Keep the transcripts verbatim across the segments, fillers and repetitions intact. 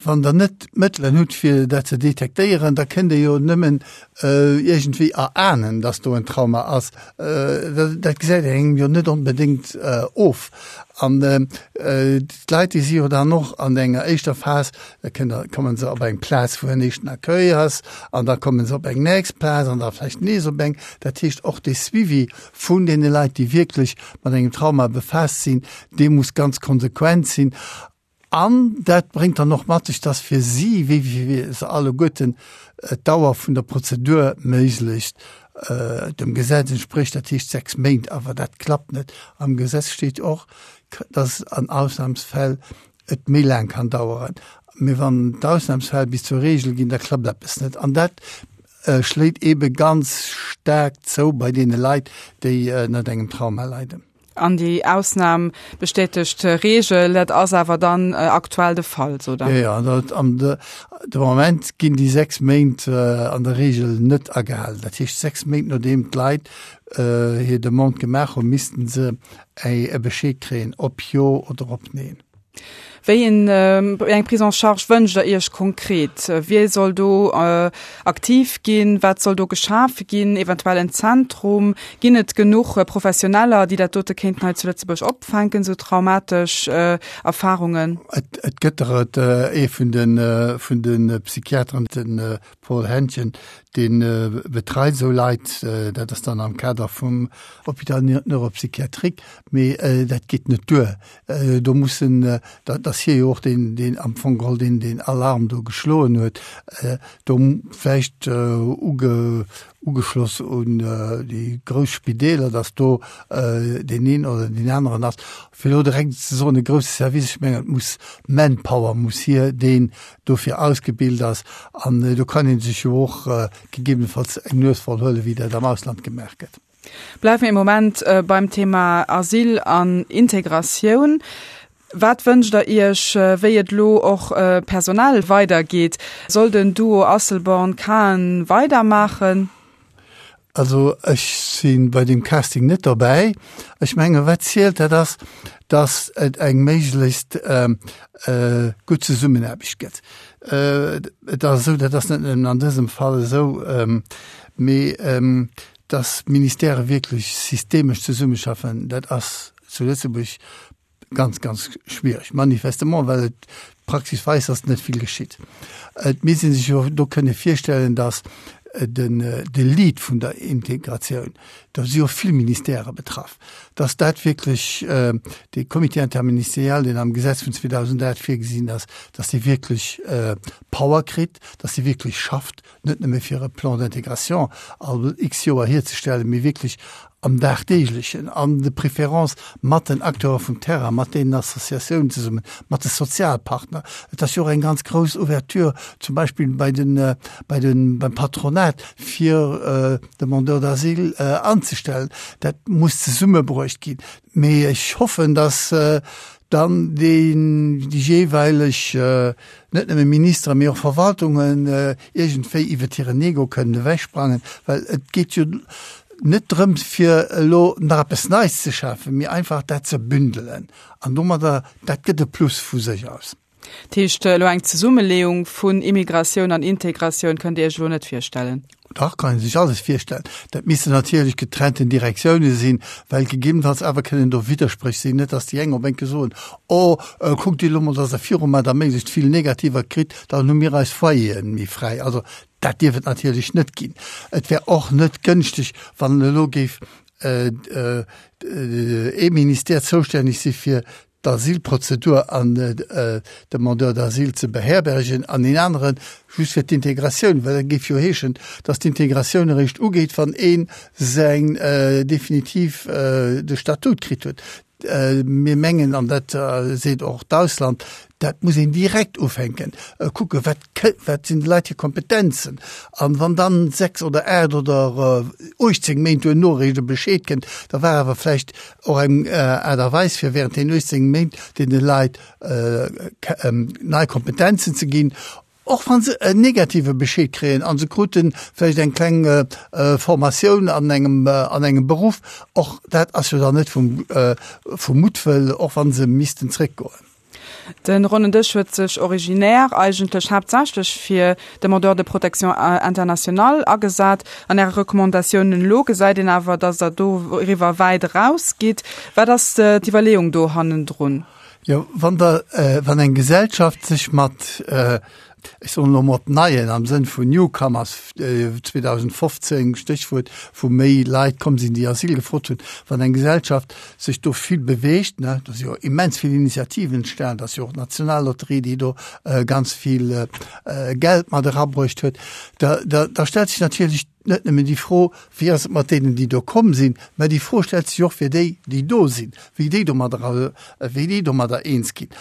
Wann der net d'Mëttelen hutt, fir dat ze detektéieren, da kënnt Der jo nëmmen iergendwéi erahnen, dass do en Trauma ass. Dat gesäit een engem jo net onbedéngt of. An d'Leit, déi si jo dann och an enger éischter Phas, da kënnt der, komme se op eng Plaz, wou en éischten Accueil ass, an da komme se op eng nächst Plaz an da vläicht nees op eng. Dat heescht, och de Suivi vun deene Leit, déi wierklech mat engem Trauma befaasst sinn, dee muss ganz konsequent sinn. An dat bréngt dann och mat sech, dass fir si, wéi fir se alleguerten, d'Dauer vun der Prozedur méiglechst dem Gesetz entsprécht, dat heescht sechs Méint. Awer dat klappt net. Am Gesetz steet och, dass an Ausnahmsfäll et méi laang kann daueren. Mee wann d'Ausnahmsfäll bis zur Regel ginn, da klappt eppes net. An dat schléit eebe ganz staark zou bei deene Leit, déi ënnert engem Trauma leiden. An déi Ausnam bestätegt d'Reegel, dat ass awer dann aktuell de Fall, sot Der? Jo, jo, dat an de Moment ginn déi sechs Méint an der Reegel net agehalen. Dat heescht, sechs Méint nodeem d'Leit hir Demande gemaach hunn, missten se e Bescheed kréien, ob jo oder ob neen. Wéi eng Prise en charge wënscht Der Iech konkret? Wie soll do aktiv ginn? Wat soll do geschafe ginn? Eventuell en Zentrum? Ginn et genuch Professioneller, déi dat dote kéinten hei zu Lëtzebuerg opfänken, esou traumatesch Erfarungen? Et gëtt der et. Ee vun de Psychiateren, de Paul Hentgen, dee betreit esou Leit. Dat ass dann am Kader vum Hôpital neuropsychiatrique. Mee dat geet net duer. Do mussen, dat ass hie jo och deen, deen am Fong geholl deen, deen Alarm do geschloen huet, do vläicht uge, ugeschloss un déi grouss Spideeler, datt do deen een oder deen aneren ass. Fir elo direkt ze soen, e grousse Service, ech mengen, et muss Manpower muss hier, deen dofir ausgebilt ass. An do kann ee sech jo och gegebenenfalls eng Nues voll huelen, wéi dat am Ausland gemaach gëtt. Bleiwe mir ee Moment beim Thema Asyl an Integratioun. Wat wënscht Der Iech, wéi et elo och personell weidergeet? Soll den Duo Asselborn-Cahen weidermaachen? Also ech si bei deem Casting net dobäi. Ech menge wat zielt, dat ass, datt et eng méiglechst gutt Zesummenaarbecht gëtt. Et ass esou, dat ass net nëmmen an dësem Fall esou, mee datt d'Ministèrë wierklech systemesch zesummeschaffen, dat ass zu Lëtzebuerg ganz, ganz schwierig. Manifestement, well et d'Praxis weist, dass net vill geschitt. Et misst ee sech jo do kënne virstellen, dass den, de Lead vun der Integratioun, do si jo vill Ministèrë betraff, dass dat wierklech dee Comité interministériel, deen am Gesetz vun zweedausendacht virgesinn ass, dass dee wierklech Power kritt, dass dee wierklech schafft, net nëmme fir e Plan d'intégration all x Joer hierzestellen, mee wierklech am Dagdeeglechen, an de préférence mat den Acteure vum Terrain, mat deenen Associatiounen zesummen, mat de Sozialpartner. Et ass jo och eng ganz grouss Ouverture zum Beispill bei den, bei den, beim Patronat, fir Demandeurs d'asile anzestellen. Dat muss zesummebruecht ginn. Mee ech hoffen, dass dann déi jeeweileg, net nëmme Ministeren, mee och Verwaltungen iergendwéi iwwert hiren Ego kënnen ewechsprangen, well et geet jo net drëms, fir elo nach eppes Neits ze schafen, mee einfach dat ze bündelen. An domadder, dat gëtt e Plus vu sech aus. Dat heescht, elo eng Zesummeleeung vun Immigratioun an Integratioun kënnt Dir Iech elo net virstellen? Dach, kann ee sech alles virstellen. Dat missten natierlech getrennten Direktioune sinn, well gegebenenfalls awer kënnen do Widderspréch sinn, net datt déi eng op eng Kéier soen, Oh, kuckt Dir elo mol, datt Der viru mer da méiglechst vill Negativer kritt, dann hu mir eis Foyeren méi fräi. Also dat dierf et natierlech net ginn. Et wär och net gënschteg, wann elo géif ee Ministère zoustänneg si fir d'Asylprozedur an d'Demandeurs d'asile ze beherbergen an een anere just fir d'Integratioun, well dat géif jo heeschen, datt d'Integratioun eréischt ugeet, wann ee säin definitiv de Statut kritt huet. Mir mengen, an dat seet och d'Ausland, dat muss een direkt ufänken, kucke wat wat sinn de Leit hir Kompetenzen. An wann dann sechs oder aacht oder uechtzéng Méint duerno eréischt e Bescheed kënnt, da war awer vläicht och eng Aart a Weis fir während deenen uechtzéng Méint deene Leit nei Kompetenzen ze ginn, och wa se en negative Bescheed kréien a se krute vläicht eng kleng Formatioun an engem an engem Beruff. Och dat ass jo dann net vum vum Muttwëll, och wa se missten zréckgoen. De Ronnen Dësch huet sech originär eigentlech haaptsächlech fir Demandeurs de protection internationale agesat. An Äre Recommandatiounen elo gesäit een awer, datt Der doriwwer wäit erausgitt. Wat ass d'Iwwerleeung do hannendrun? Jo, wann der, wann eng Gesellschaft sech mat, ech soen elo mol Neien am Sënn vun Newcomers, zweedausendfofzéng, Stéchwuert, wou méi Leit komm sinn, déi Asyl gefrot hunn, wann eng Gesellschaft sech do vill beweegt, ne, do si jo immens vill Initiativen entstanen, et ass jo och d'Nationallotterie, déi do ganz vill Geld mat erabruecht huet, da, da, da stellt sech natierlech net nëmmen déi Fro, wéi ass et mat deenen, déi do komm sinn, mä déi Fro stellt sech och fir déi, déi do sinn, wéi déi domadder, wéi déi domadder eens ginn.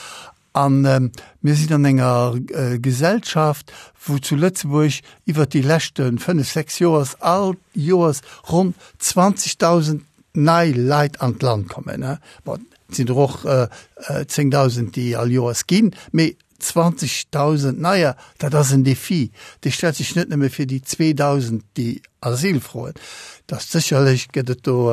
A mir sinn an enger Gesellschaft, wou zu Lëtzebuerg iwwert déi leschte fënnef, sechs Joers all Joers ronn zwanzegdausend nei Leit an d'Land kommen. Bon, et sinn der och zéngdausend, déi all Joers ginn, mee zwanzegdausend neier, dat ass en Defi. Dee stellt sech net nëmme fir déi zweedausend, déi Asyl froen. Dat sécherlech gëtt et do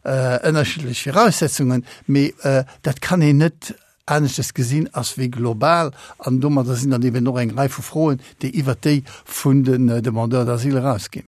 ënnerschiddlech Viraussetzungen, mee dat kann een net aneschtes gesinn ass wéi global. An domadder sinn dann eben och eng Rei vu Froen, déi iwwert déi vun den Demandeurs d'asile erausginn.